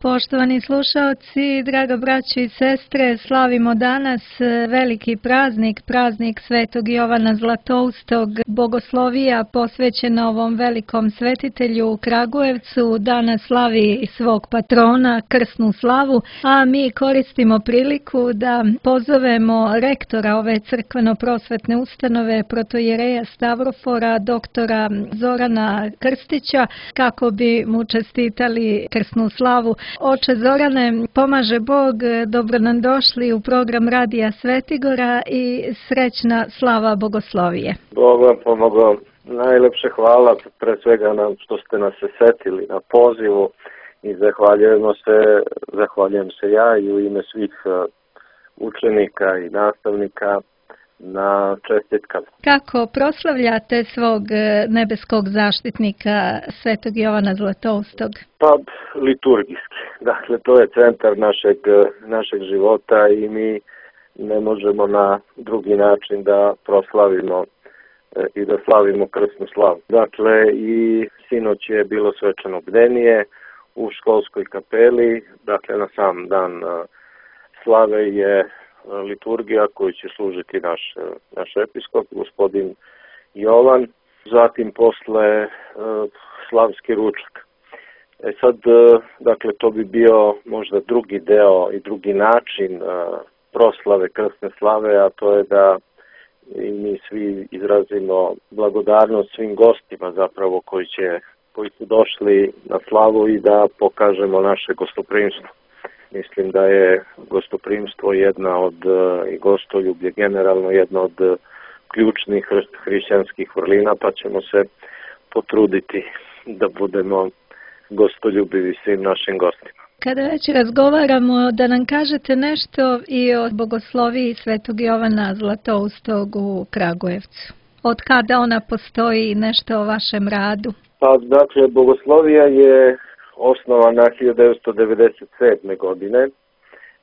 Poštovani slušaoci, draga braćo i sestre, slavimo danas veliki praznik, praznik Svetog Jovana Zlatoustog, bogoslovija posvećena ovom velikom svetitelju u Kragujevcu. Danas slavi svog patrona, krsnu slavu, a mi koristimo priliku da pozovemo rektora ove crkveno-prosvetne ustanove, protoijereja Stavrofora, doktora Zorana Krstića, kako bi mu čestitali krsnu slavu. Oče Zorane, pomaže Bog, dobro nam došli u program Radija Svetigora i srećna slava bogoslovije. Bog vam pomogao. Najlepše hvala pre svega nam što ste nas se setili na pozivu i zahvaljujem se ja i u ime svih učenika i nastavnika na čestitkama. Kako proslavljate svog nebeskog zaštitnika Svetog Jovana Zlatoustog? Pa liturgijski. Dakle, to je centar našeg života i mi ne možemo na drugi način da proslavimo i da slavimo krsnu slavu. Dakle, i sinoć je bilo svečano bdenije u školskoj kapeli. Dakle, na sam dan slave je liturgija koju će služiti naš episkop, gospodin Jovan. Zatim posle slavski ručak. Sad, dakle, to bi bio možda drugi deo i drugi način proslave krsne slave, a to je da i mi svi izrazimo blagodarnost svim gostima zapravo koji su došli na slavu i da pokažemo naše gostoprimstvo. Mislim da je gostoprimstvo i gostoljublje generalno jedna od ključnih hrišćanskih vrlina, pa ćemo se potruditi da budemo gostoljubivi svim našim gostima. Kada već razgovaramo, da nam kažete nešto i o bogosloviji Svetog Jovana Zlatoustog u Kragujevcu. Od kada ona postoji, nešto o vašem radu? Pa, dakle, bogoslovija je osnovana 1997. godine,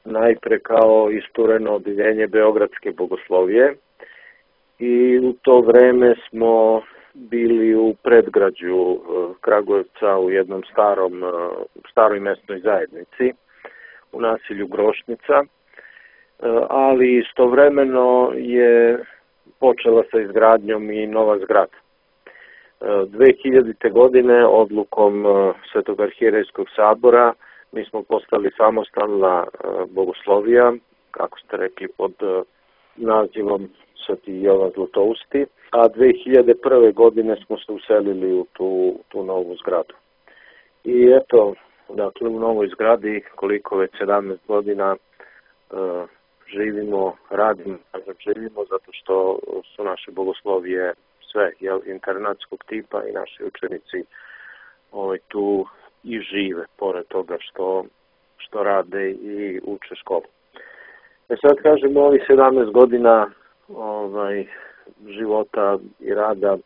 najpre kao istureno odeljenje Beogradske bogoslovije i u to vreme smo bili u predgrađu Kragujevca u jednom staroj mesnoj zajednici u naselju Grošnica, ali istovremeno je počela sa izgradnjom i nova zgrada. 2000. godine odlukom Svetog arhijerejskog sabora mi smo postali samostalna bogoslovija, kako ste rekli, pod nazivom Sveti Jovan Zlatousti, a 2001. godine smo se uselili u tu novu zgradu. I eto, dakle, u novoj zgradi, koliko već 17 godina radimo zato što su naše bogoslovije sve internatskog tipa i naši učenici tu i žive, pored toga što rade i uče školu. Sad kažemo, ovih 17 godina života i rada,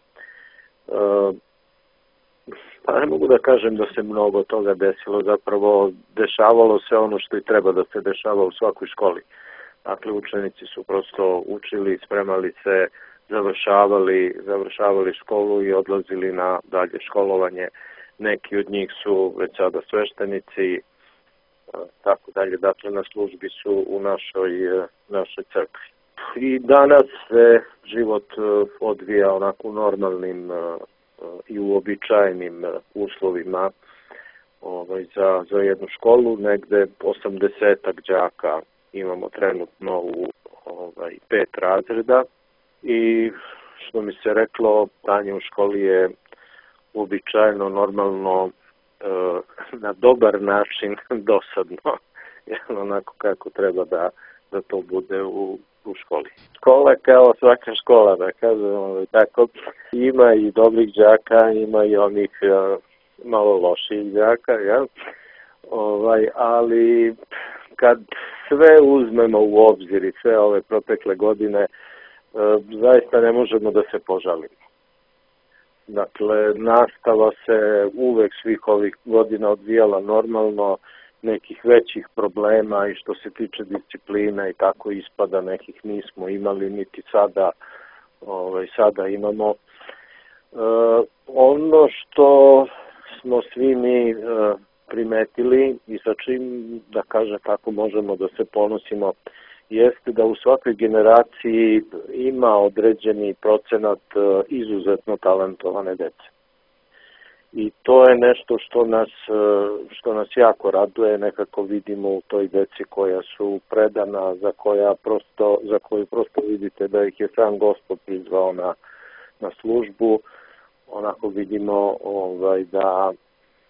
pa ne mogu da kažem da se mnogo toga desilo, zapravo dešavalo se ono što i treba da se dešava u svakoj školi. Dakle, učenici su prosto učili, spremali se, završavali školu i odlazili na dalje školovanje. Neki od njih su već sada sveštenici, tako dalje, dakle na službi su u našoj crkvi. I danas se život odvija onako u normalnim i uobičajenim uslovima za jednu školu. Negde 80 đaka imamo trenutno u 5 razreda i što mi se reklo, stanje u školi je uobičajeno, normalno, na dobar način dosadno, onako kako treba da to bude u školi. Škola kao svaka škola, da kažem, tako, ima i dobrih đaka, ima i onih malo loših đaka, ali kad sve uzmemo u obzir i sve ove protekle godine, zaista ne možemo da se požalimo. Dakle, nastava se uvek svih ovih godina odvijala normalno, nekih većih problema i što se tiče disciplina i tako ispada nekih nismo imali, niti sada imamo. Ono što smo svi mi primetili i sa čim, da kažem tako, možemo da se ponosimo, jeste da u svakoj generaciji ima određeni procenat izuzetno talentovane dece. I to je nešto što nas jako raduje, nekako vidimo u toj deci koja su predana, za koju prosto vidite da ih je sam Gospod prizvao na službu, onako vidimo da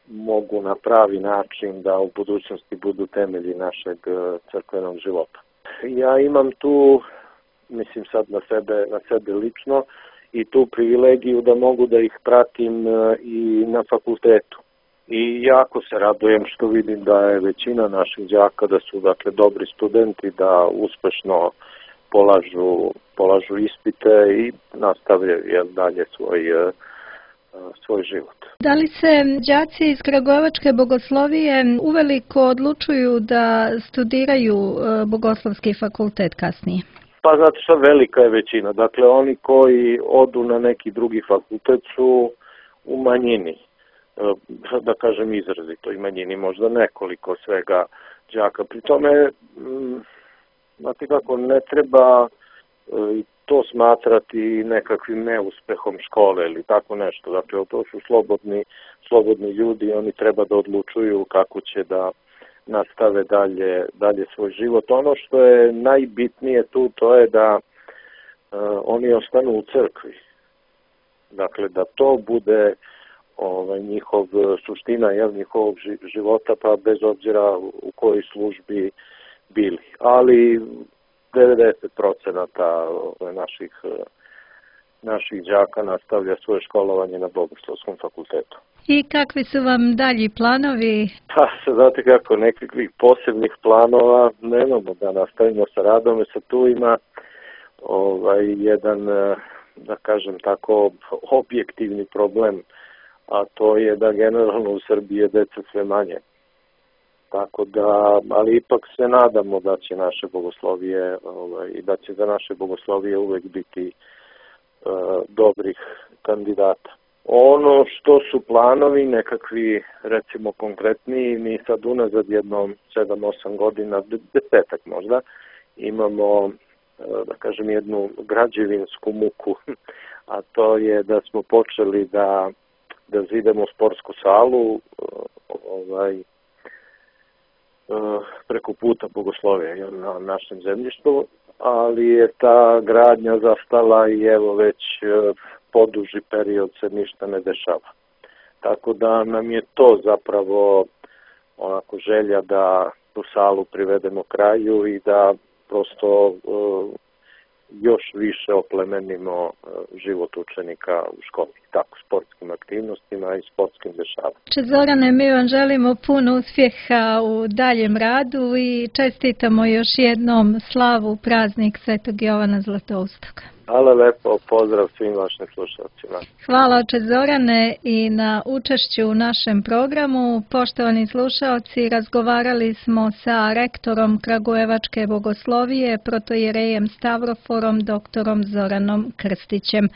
mogu na pravi način da u budućnosti budu temelji našeg crkvenog života. Ja imam tu, mislim sad na sebe lično, i tu privilegiju da mogu da ih pratim i na fakultetu. I jako se radujem što vidim da je većina naših đaka da su dakle dobri studenti, da uspešno polažu ispite i nastavljaju dalje svoj život. Da li se đaci iz Kragujevačke bogoslovije uveliko odlučuju da studiraju bogoslovski fakultet kasnije? Pa zato što velika je većina. Dakle, oni koji odu na neki drugi fakultet su u manjini, da kažem izrazito i manjini, možda nekoliko svega đaka. Pri tome, znate kako, ne treba to smatrati nekakvim neuspehom škole ili tako nešto. Dakle, to su slobodni ljudi, oni treba da odlučuju kako će da nastave dalje svoj život. Ono što je najbitnije tu, to je da oni ostanu u crkvi. Dakle, da to bude njihov suština njihovog života, pa bez obzira u kojoj službi bili. Ali 90% naših đaka nastavlja svoje školovanje na Bogoslovskom fakultetu. I kakvi su vam dalji planovi? Pa, znate kako, nekakvih posebnih planova nemamo, da nastavimo sa radom. Sad tu ima jedan, da kažem tako, objektivni problem, a to je da generalno u Srbiji je deca sve manje. Tako da, ali ipak se nadamo da će naše bogoslovije i da će za naše bogoslovije uvek biti dobrih kandidata. Ono što su planovi nekakvi, recimo konkretniji, mi sad unazad jednom 7-8 godina, 10 možda, imamo, da kažem, jednu građevinsku muku, a to je da smo počeli da zidemo sportsku salu preko puta bogoslovija na našem zemljištu, ali je ta gradnja zastala i evo već poduži period se ništa ne dešava. Tako da nam je to zapravo onako želja da tu salu privedemo kraju i da prosto još više oplemenimo život učenika u školi, tako sportskim aktivnostima i sportskim dešavanjima. Zorane, mi vam želimo puno uspjeha u daljem radu i čestitamo još jednom slavu praznik Svetog Jovana Zlatoustog. Hvala lepo, pozdrav svim vašim slušalcima. Hvala oče Zorane i na učešću u našem programu. Poštovani slušalci, razgovarali smo sa rektorom Kragujevačke bogoslovije, protojerejem Stavroforom, doktorom Zoranom Krstićem.